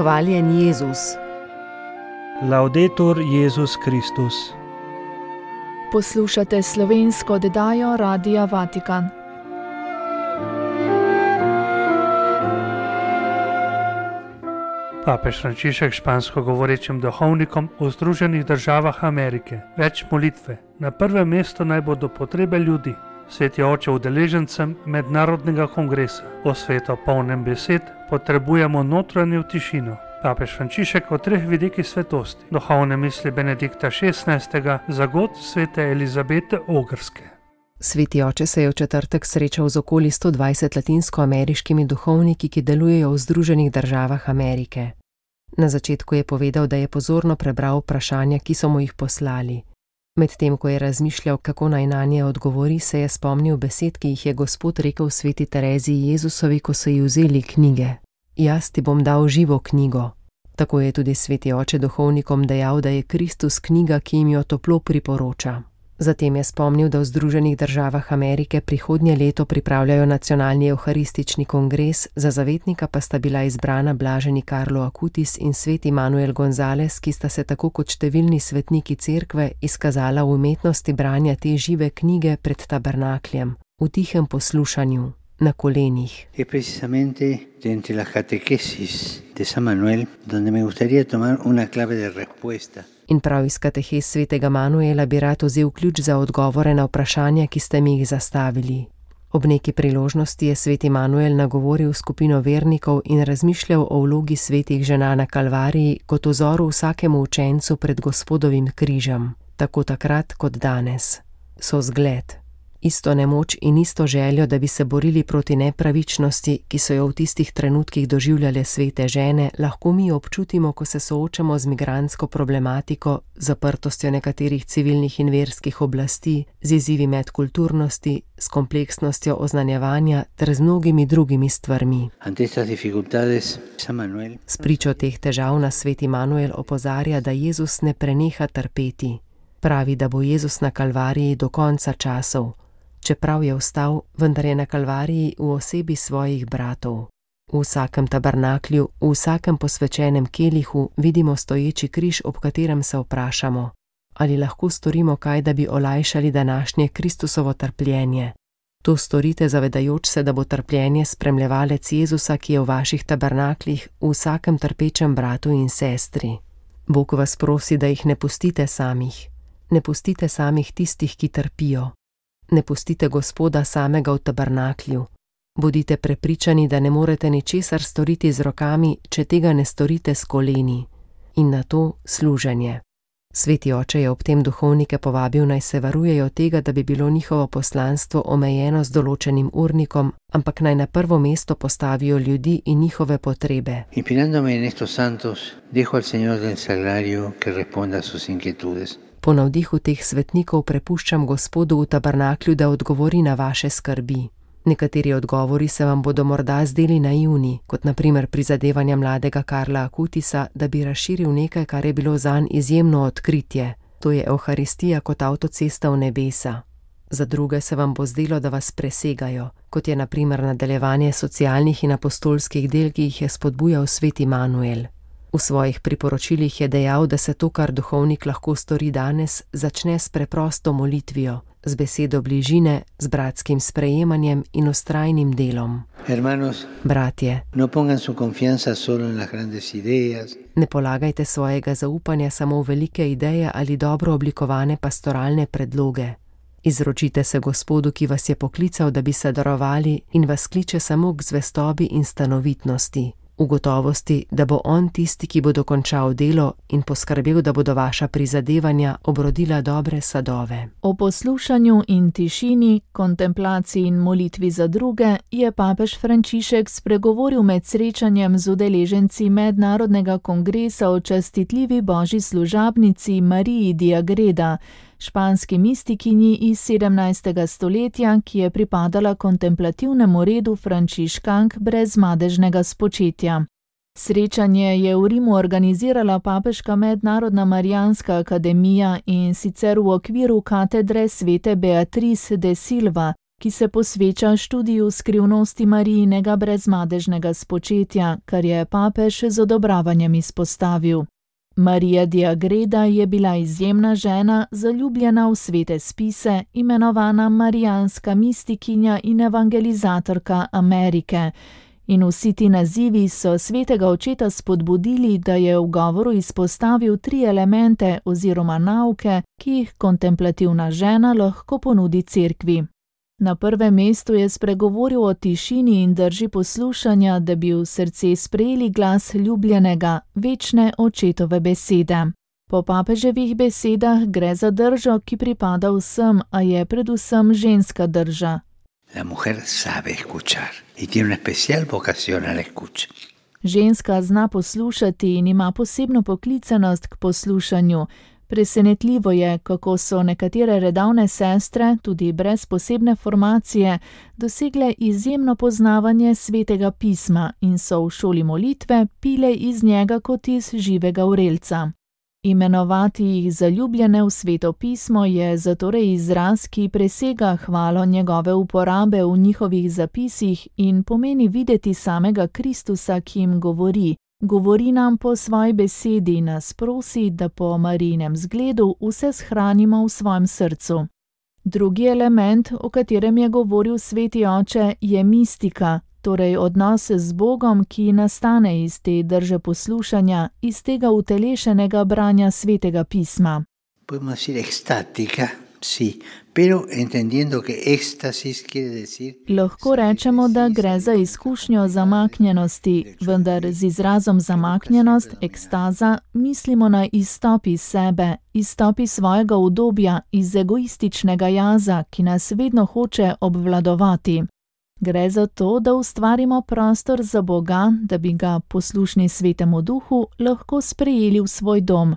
Hvaljen Jezus. Laudetur Jezus Kristus. Poslušate slovensko oddajo Radia Vatikan. Papež Frančišek špansko govorečim duhovnikom v Združenih državah Amerike. Več molitve. Na prvem mestu naj bodo potrebe ljudi. Sveti oče udeležencem mednarodnega kongresa. O svetu polnem besed potrebujemo notranjo tišino. Papež Frančišek o 3 vidikih svetosti. Duhovne misli Benedikta XVI. Za god svete Elizabete Ogrske. Sveti oče se je v četrtek srečal z okoli 120 latinskoameriškimi duhovniki, ki delujejo v Združenih državah Amerike. Na začetku je povedal, da je pozorno prebral vprašanja, ki so mu jih poslali. Medtem ko je razmišljal, kako naj nanje odgovori, se je spomnil besed, ki jih je Gospod rekel sveti Tereziji Jezusovi, ko so ji vzeli knjige. Jaz ti bom dal živo knjigo. Tako je tudi sveti oče duhovnikom dejal, da je Kristus knjiga, ki jim jo toplo priporoča. Zatem je spomnil, da v Združenih državah Amerike prihodnje leto pripravljajo nacionalni evharistični kongres, za zavetnika pa sta bila izbrana blaženi Carlo Acutis in sveti Manuel González, ki sta se tako kot številni svetniki cerkve izkazala v umetnosti branja te žive knjige pred tabernakljem, v tihem poslušanju, na kolenih. Es precisamente entre las catequesis de San Manuel donde me gustaría tomar una clave de respuesta. In prav iz katehes svetega Manuela bi rad vzel ključ za odgovore na vprašanja, ki ste mi jih zastavili. Ob neki priložnosti je sveti Manuel nagovoril skupino vernikov in razmišljal o vlogi svetih žena na Kalvariji kot vzoru vsakemu učencu pred Gospodovim križem, tako takrat kot danes. So zgled. Isto nemoč in isto željo, da bi se borili proti nepravičnosti, ki so jo v tistih trenutkih doživljale svete žene, lahko mi občutimo, ko se soočamo z migrantsko problematiko, zaprtostjo nekaterih civilnih in verskih oblasti, z izzivi medkulturnosti, s kompleksnostjo oznanjevanja ter z mnogimi drugimi stvarmi. S pričo teh težav nas sveti Manuel opozarja, da Jezus ne preneha trpeti. Pravi, da bo Jezus na Kalvariji do konca časov. Čeprav je vstal, vendar je na Kalvariji v osebi svojih bratov. V vsakem tabernaklju, v vsakem posvečenem kelihu vidimo stoječi križ, ob katerem se vprašamo, ali lahko storimo kaj, da bi olajšali današnje Kristusovo trpljenje. To storite zavedajoč se, da bo trpljenje spremljevalec Jezusa, ki je v vaših tabernaklih, v vsakem trpečem bratu in sestri. Bog vas prosi, da jih ne pustite samih. Ne pustite samih tistih, ki trpijo. Ne pustite Gospoda samega v tabernaklju. Bodite prepričani, da ne morete ničesar storiti z rokami, če tega ne storite s koleni. In na to služenje. Sveti oče je ob tem duhovnike povabil, naj se varujejo tega, da bi bilo njihovo poslanstvo omejeno z določenim urnikom, ampak naj na prvo mesto postavijo ljudi in njihove potrebe. Inspirándome en estos santos, dejo al Señor del Sagrario que responda a sus inquietudes. Po navdihu teh svetnikov prepuščam Gospodu v tabernaklju, da odgovori na vaše skrbi. Nekateri odgovori se vam bodo morda zdeli naivni, kot na primer prizadevanja mladega Karla Acutisa, da bi razširil nekaj, kar je bilo zanj izjemno odkritje. To je Evharistija kot avtocesta v nebesa. Za druge se vam bo zdelo, da vas presegajo, kot je na primer nadaljevanje socialnih in apostolskih del, ki jih je spodbujal sveti Manuel. V svojih priporočilih je dejal, da se to, kar duhovnik lahko stori danes, začne s preprosto molitvijo, z besedo bližine, z bratskim sprejemanjem in vztrajnim delom. Hermanos, bratje, no pongan su confianza solo en las grandes ideas. Ne polagajte svojega zaupanja samo v velike ideje ali dobro oblikovane pastoralne predloge. Izročite se Gospodu, ki vas je poklical, da bi se darovali in vas kliče samo k zvestobi in stanovitnosti. V gotovosti, da bo on tisti, ki bo dokončal delo in poskrbel, da bodo vaša prizadevanja obrodila dobre sadove. O poslušanju in tišini, kontemplaciji in molitvi za druge je papež Frančišek spregovoril med srečanjem z udeleženci mednarodnega kongresa o častitljivi božji služabnici Mariji di Agreda, španski mistikinji iz 17. stoletja, ki je pripadala kontemplativnemu redu frančiškank brez madežnega spočetja. Srečanje je v Rimu organizirala papeška mednarodna Marijanska akademija in sicer v okviru katedre svete Beatrice de Silva, ki se posveča študiju skrivnosti Marijinega brezmadežnega spočetja, kar je papež z odobravanjem izpostavil. Marija de Agreda je bila izjemna žena, zaljubljena v svete spise, imenovana marijanska mistikinja in evangelizatorka Amerike. In vsi ti nazivi so svetega očeta spodbudili, da je v govoru izpostavil 3 elemente oziroma nauke, ki jih kontemplativna žena lahko ponudi cerkvi. Na prvem mestu je spregovoril o tišini in drži poslušanja, da bi v srce sprejeli glas ljubljenega, večne očetove besede. Po papeževih besedah gre za držo, ki pripada vsem, a je predvsem ženska drža. La mujer sabe escuchar y tiene una especial vocación a la escucha. Ženska zna poslušati in ima posebno poklicanost k poslušanju. Presenetljivo je, kako so nekatere redavne sestre, tudi brez posebne formacije, dosegle izjemno poznavanje svetega pisma in so v šoli molitve pile iz njega kot iz živega vrelca. Imenovati jih zaljubljene v sveto pismo je zatorej izraz, ki presega hvalo njegove uporabe v njihovih zapisih in pomeni videti samega Kristusa, ki jim govori. Govori nam po svoji besedi in nas prosi, da po Marijinem zgledu vse shranimo v svojem srcu. Drugi element, o katerem je govoril sveti oče, je mistika, torej odnos z Bogom, ki nastane iz te drže poslušanja, iz tega utelešenega branja svetega pisma. Podemos decir extática, sí, pero entendiendo que éxtasis quiere decir... Lahko rečemo, da gre za izkušnjo zamaknjenosti, vendar z izrazom zamaknjenost, ekstaza, mislimo na izstop iz sebe, izstop iz svojega udobja, iz egoističnega jaza, ki nas vedno hoče obvladovati. Gre za to, da ustvarimo prostor za Boga, da bi ga, poslušni svetemu duhu, lahko sprejeli v svoj dom.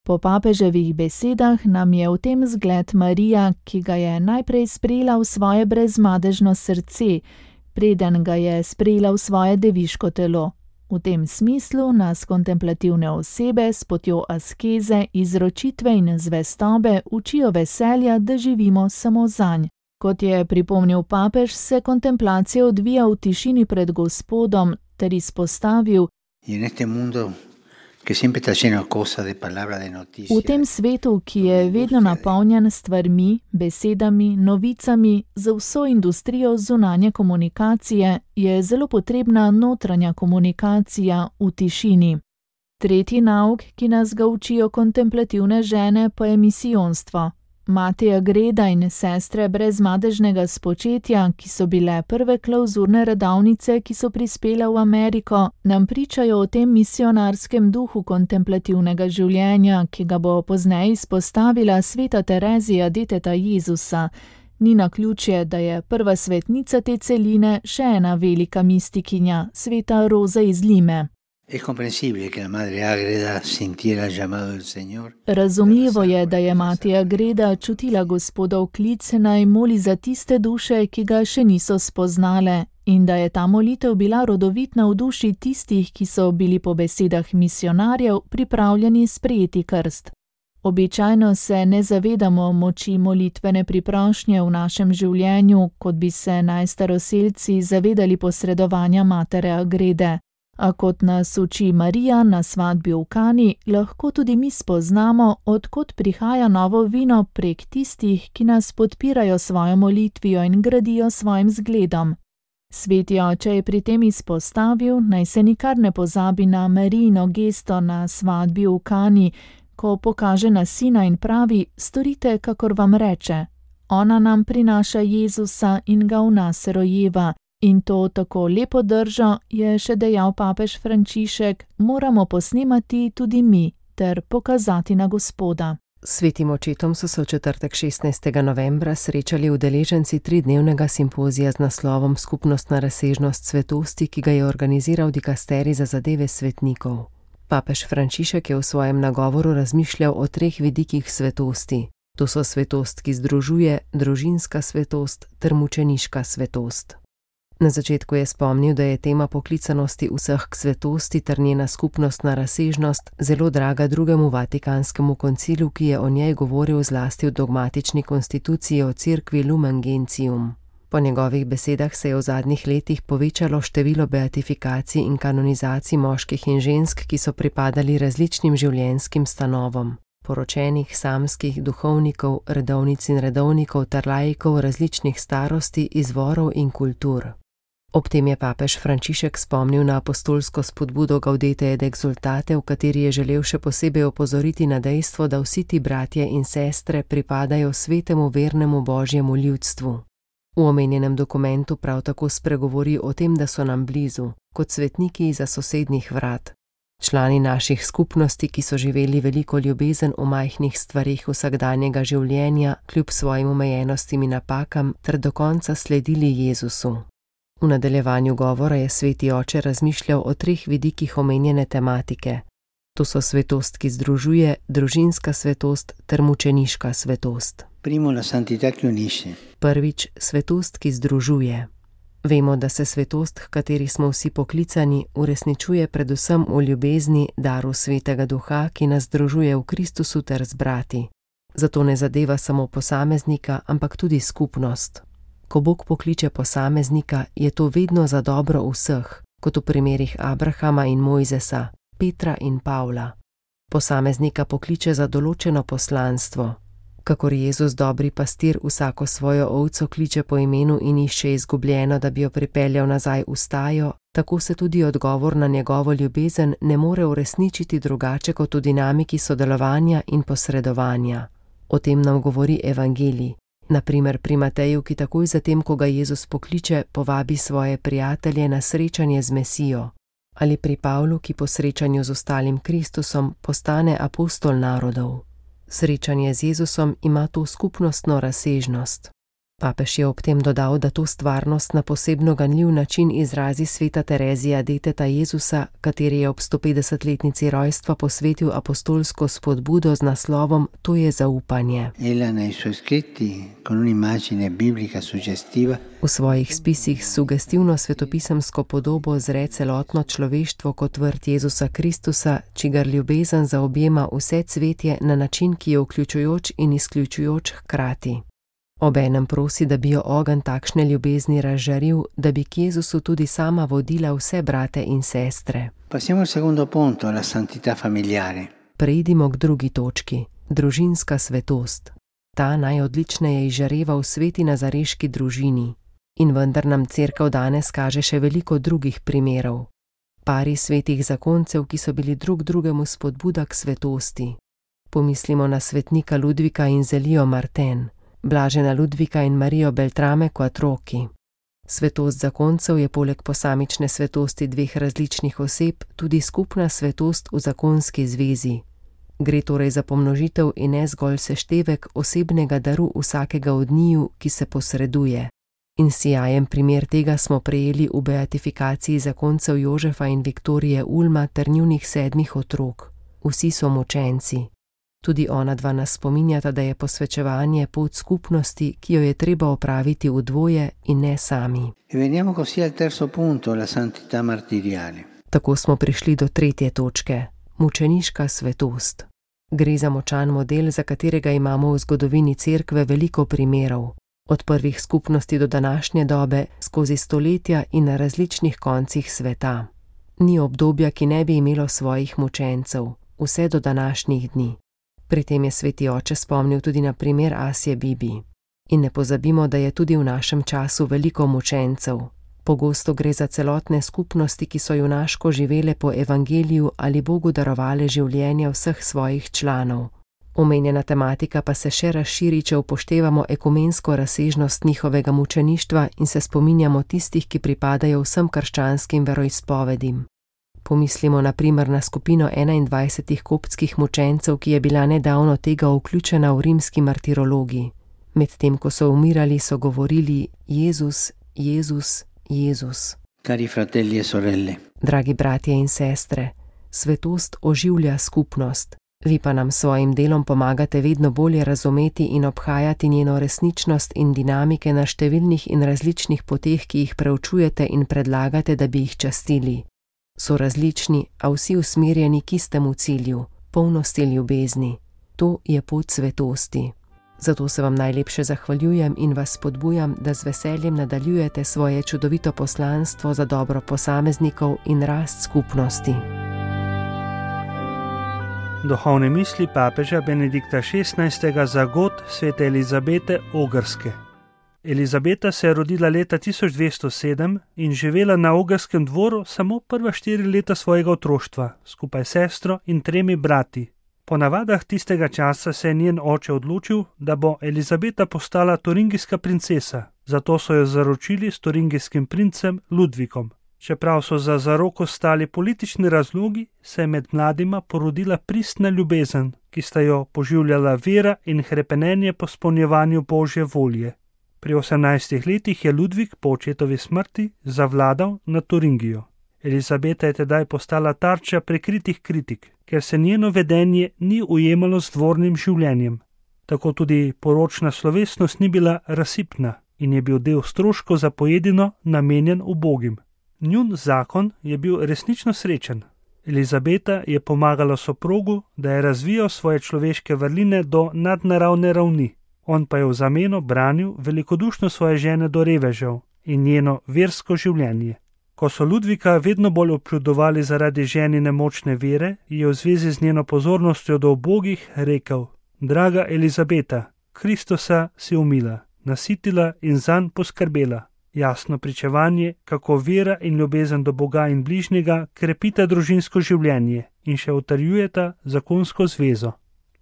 Po papeževih besedah nam je v tem zgled Marija, ki ga je najprej sprejela v svoje brezmadežno srce, preden ga je sprejela v svoje deviško telo. V tem smislu nas kontemplativne osebe s potjo askeze, izročitve in zvestobe učijo veselja, da živimo samo zanj. Kot je pripomnil papež, se kontemplacija odvija v tišini pred Gospodom ter izpostavil: v tem svetu, ki je vedno napolnjen s stvarmi, besedami, novicami, za vso industrijo zunanje komunikacije, je zelo potrebna notranja komunikacija v tišini. Tretji nauk, ki nas ga učijo kontemplativne žene, pa je misijonstvo. Mati Agreda in sestre brezmadežnega spočetja, ki so bile prve klavzurne redavnice, ki so prispele v Ameriko, nam pričajo o tem misionarskem duhu kontemplativnega življenja, ki ga bo pozneje izpostavila sveta Terezija deteta Jezusa. Ni naključje, da je prva svetnica te celine še ena velika mistikinja, sveta Roza iz Lime. Razumljivo je, da je mati Agreda čutila Gospodov klic, naj moli za tiste duše, ki ga še niso spoznale, in da je ta molitev bila rodovitna v duši tistih, ki so bili po besedah misionarjev pripravljeni sprejeti krst. Običajno se ne zavedamo moči molitvene priprošnje v našem življenju, kot bi se najstaroselci zavedali posredovanja matere Agrede. A kot nas uči Marija na svatbi v Kani, lahko tudi mi spoznamo, odkot prihaja novo vino prek tistih, ki nas podpirajo svojo molitvijo in gradijo svojim zgledom. Sveti oče je pri tem izpostavil, naj se nikar ne pozabi na Marijino gesto na svatbi v Kani, ko pokaže na sina in pravi: storite, kakor vam reče. Ona nam prinaša Jezusa in ga v nas rojeva. In to tako lepo držo, je še dejal papež Frančišek, moramo posnemati tudi mi ter pokazati na Gospoda. Svetim očetom so se v četrtek 16. novembra srečali udeleženci 3-dnevnega simpozija z naslovom Skupnostna razsežnost svetosti, ki ga je organiziral dikasterij za zadeve svetnikov. Papež Frančišek je v svojem nagovoru razmišljal o 3 vidikih svetosti. To so svetost, ki združuje, družinska svetost ter mučeniška svetost. Na začetku je spomnil, da je tema poklicanosti vseh k svetosti ter njena skupnostna razsežnost zelo draga drugemu Vatikanskemu koncilu, ki je o njej govoril zlasti v dogmatični konstituciji o Cerkvi Lumen Gentium. Po njegovih besedah se je v zadnjih letih povečalo število beatifikacij in kanonizacij moških in žensk, ki so pripadali različnim življenjskim stanovom, poročenih, samskih, duhovnikov, redovnic in redovnikov ter laikov različnih starosti, izvorov in kultur. Ob tem je papež Frančišek spomnil na apostolsko spodbudo Gaudete et Exsultate, v kateri je želel še posebej opozoriti na dejstvo, da vsi ti bratje in sestre pripadajo svetemu vernemu Božjemu ljudstvu. V omenjenem dokumentu prav tako spregovori o tem, da so nam blizu, kot svetniki izza sosednjih vrat. Člani naših skupnosti, ki so živeli veliko ljubezen v majhnih stvareh vsakdanjega življenja, kljub svojim omejenostim in napakam, ter do konca sledili Jezusu. V nadaljevanju govora je sveti oče razmišljal o 3 vidikih omenjene tematike. To so svetost, ki združuje, družinska svetost ter mučeniška svetost. Primo, la santità che unisce. Prvič, svetost, ki združuje. Vemo, da se svetost, h kateri smo vsi poklicani, uresničuje predvsem v ljubezni, daru Svetega Duha, ki nas združuje v Kristusu ter z brati. Zato ne zadeva samo posameznika, ampak tudi skupnost. Ko Bog pokliče posameznika, je to vedno za dobro vseh, kot v primerih Abrahama in Mojzesa, Petra in Pavla. Posameznika pokliče za določeno poslanstvo. Kakor Jezus, dobri pastir, vsako svojo ovco kliče po imenu in išče izgubljeno, da bi jo pripeljal nazaj v stajo, tako se tudi odgovor na njegovo ljubezen ne more uresničiti drugače kot v dinamiki sodelovanja in posredovanja. O tem nam govori evangelij. Naprimer pri Mateju, ki takoj zatem, ko ga Jezus pokliče, povabi svoje prijatelje na srečanje z Mesijo. Ali pri Pavlu, ki po srečanju z ostalim Kristusom postane apostol narodov. Srečanje z Jezusom ima to skupnostno razsežnost. Papež je ob tem dodal, da to stvarnost na posebno ganljiv način izrazi sveta Terezija deteta Jezusa, kateri je ob 150-letnici rojstva posvetil apostolsko spodbudo z naslovom To je zaupanje. V svojih spisih s sugestivno svetopisemsko podobo zre celotno človeštvo kot vrt Jezusa Kristusa, čigar ljubezen zaobjema vse cvetje na način, ki je vključujoč in izključujoč hkrati. Obenem prosi, da bi jo ogenj takšne ljubezni razžaril, da bi k Jezusu tudi sama vodila vse brate in sestre. Passiamo al secondo punto, la santità familiare. Preidimo k drugi točki, družinska svetost. Ta najodličneje izžareva v sveti nazareški družini. In vendar nam Cerkev danes kaže še veliko drugih primerov. Pari svetih zakoncev, ki so bili drug drugemu spodbuda k svetosti. Pomislimo na svetnika Ludvika in Zelijo Marten, blažena Ludvika in Marijo Beltrame Quattrochi. Svetost zakoncev je poleg posamične svetosti 2 različnih oseb tudi skupna svetost v zakonski zvezi. Gre torej za pomnožitev in ne zgolj seštevek osebnega daru vsakega od njiju, ki se posreduje. In sijajen primer tega smo prejeli v beatifikaciji zakoncev Jožefa in Viktorije Ulma ter njunih 7 otrok. Vsi so mučenci. Tudi ona dva nas spominjata, da je posvečevanje pot skupnosti, ki jo je treba opraviti v dvoje in ne sami. Veniamo così al terzo punto, la santità martiriale. Tako smo prišli do 3. točke, mučeniška svetost. Gre za močan model, za katerega imamo v zgodovini Cerkve veliko primerov. Od prvih skupnosti do današnje dobe, skozi stoletja in na različnih koncih sveta. Ni obdobja, ki ne bi imelo svojih mučencev, vse do današnjih dni. Pri tem je sveti oče spomnil tudi na primer Asje Bibi. In ne pozabimo, da je tudi v našem času veliko mučencev. Pogosto gre za celotne skupnosti, ki so junaško živele po evangeliju ali Bogu darovale življenje vseh svojih članov. Omenjena tematika pa se še razširi, če upoštevamo ekumensko razsežnost njihovega mučeništva in se spominjamo tistih, ki pripadajo vsem krščanskim veroizpovedim. Pomislimo na primer na skupino 21 koptskih mučencev, ki je bila nedavno tega vključena v rimski martirologi. Medtem ko so umirali, so govorili Jezus, Jezus, Jezus. Cari fratelli e sorelle. Dragi bratje in sestre, svetost oživlja skupnost. Vi pa nam svojim delom pomagate vedno bolje razumeti in obhajati njeno resničnost in dinamike na številnih in različnih poteh, ki jih preučujete in predlagate, da bi jih častili. So različni, a vsi usmerjeni k istemu cilju, polnosti ljubezni. To je pot svetosti. Zato se vam najlepše zahvaljujem in vas spodbujam, da z veseljem nadaljujete svoje čudovito poslanstvo za dobro posameznikov in rast skupnosti. Duhovne misli papeža Benedikta XVI. Za god svete Elizabete Ogrske. Elizabeta se je rodila leta 1207 in živela na ogrskem dvoru samo prva 4 leta svojega otroštva, skupaj s sestro in 3 brati. Po navadah tistega časa se je njen oče odločil, da bo Elizabeta postala turingijska princesa, zato so jo zaročili s turingijskim princem Ludvikom. Čeprav so za zaroko stali politični razlogi, se je med mladima porodila pristna ljubezen, ki sta jo poživljala vera in hrepenenje po izpolnjevanju Božje volje. Pri 18 letih je Ludvik po očetovi smrti zavladal nad Turingijo. Elizabeta je tedaj postala tarča prikritih kritik, ker se njeno vedenje ni ujemalo z dvornim življenjem. Tako tudi poročna slovesnost ni bila razsipna in je bil del stroškov za pojedino namenjen ubogim. Njun zakon je bil resnično srečen. Elizabeta je pomagala soprogu, da je razvijal svoje človeške vrline do nadnaravne ravni. On pa je v zameno branil velikodušno svoje žene do revežev in njeno versko življenje. Ko so Ludvika vedno bolj občudovali zaradi ženine močne vere, je v zvezi z njeno pozornostjo do ubogih rekel: Draga Elizabeta, Kristusa si umila, nasitila in zanj poskrbela. Jasno pričevanje, kako vera in ljubezen do Boga in bližnjega krepita družinsko življenje in še utrjujeta zakonsko zvezo.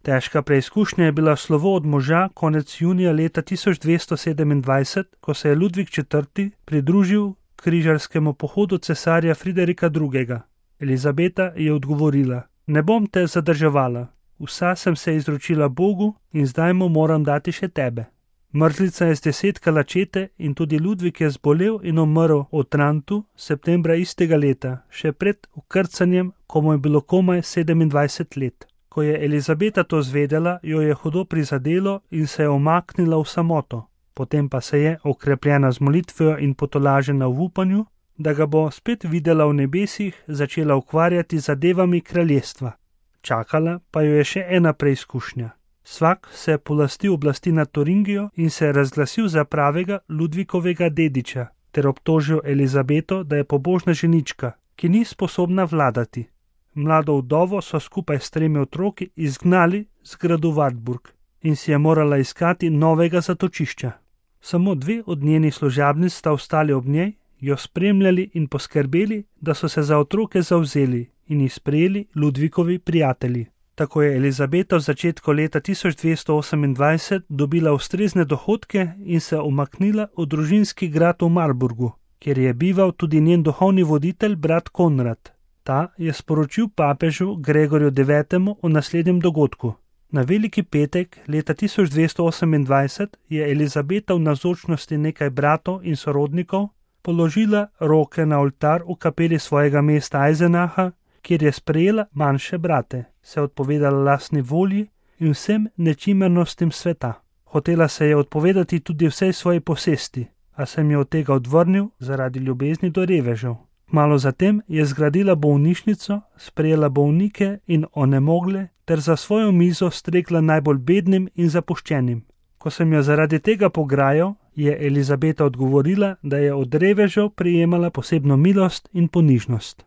Težka preizkušnja je bila slovo od moža konec junija leta 1227, ko se je Ludvik IV. Pridružil križarskemu pohodu cesarja Friderika II. Elizabeta je odgovorila: Ne bom te zadrževala, vsa sem se izročila Bogu in zdaj mu moram dati še tebe. Mrzlica je zdesetkala čete in tudi Ludvik je zbolel in umrl v Trantu septembra istega leta, še pred ukrcanjem, ko mu je bilo komaj 27 let. Ko je Elizabeta to zvedela, jo je hudo prizadelo in se je umaknila v samoto. Potem pa se je, okrepljena z molitvijo in potolažena v upanju, da ga bo spet videla v nebesih, začela ukvarjati z zadevami kraljestva. Čakala pa jo je še ena preizkušnja. Svak se je polastil oblasti nad Turingijo in se je razglasil za pravega Ludvikovega dediča, ter obtožil Elizabeto, da je pobožna ženička, ki ni sposobna vladati. Mlado vdovo so skupaj s 3 otroki izgnali z gradu Wartburg in si je morala iskati novega zatočišča. Samo 2 od njenih služabnic sta ostali ob njej, jo spremljali in poskrbeli, da so se za otroke zavzeli in jih sprejeli Ludvikovi prijatelji. Tako je Elizabeta v začetku leta 1228 dobila ustrezne dohodke in se umaknila v družinski grad v Marburgu, kjer je bival tudi njen duhovni voditelj brat Konrad. Ta je sporočil papežu Gregorju IX. O naslednjem dogodku. Na Veliki petek leta 1228 je Elizabeta v navzočnosti nekaj bratov in sorodnikov položila roke na oltar v kapeli svojega mesta Eisenacha, kjer je sprejela manjše brate, se odpovedala lastni volji in vsem nečimernostim sveta. Hotela se je odpovedati tudi vsej svoji posesti, a se jim je od tega odvrnil zaradi ljubezni do revežev. Malo zatem je zgradila bolnišnico, sprejela bolnike in onemogle ter za svojo mizo stregla najbolj bednim in zapuščenim. Ko sem jo zaradi tega pograjal, je Elizabeta odgovorila, da je od revežev prejemala posebno milost in ponižnost.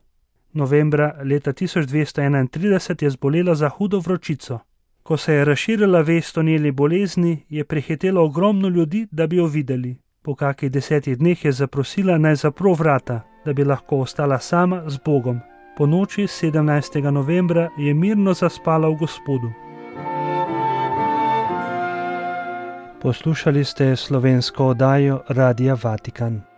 Novembra leta 1231 je zbolela za hudo vročico. Ko se je razširila vest o njeni bolezni, je prihitelo ogromno ljudi, da bi jo videli. Po kakih 10 dneh je zaprosila, naj zapro vrata, da bi lahko ostala sama z Bogom. Po noči 17. novembra je mirno zaspala v Gospodu. Poslušali ste slovensko oddajo Radia Vatikan.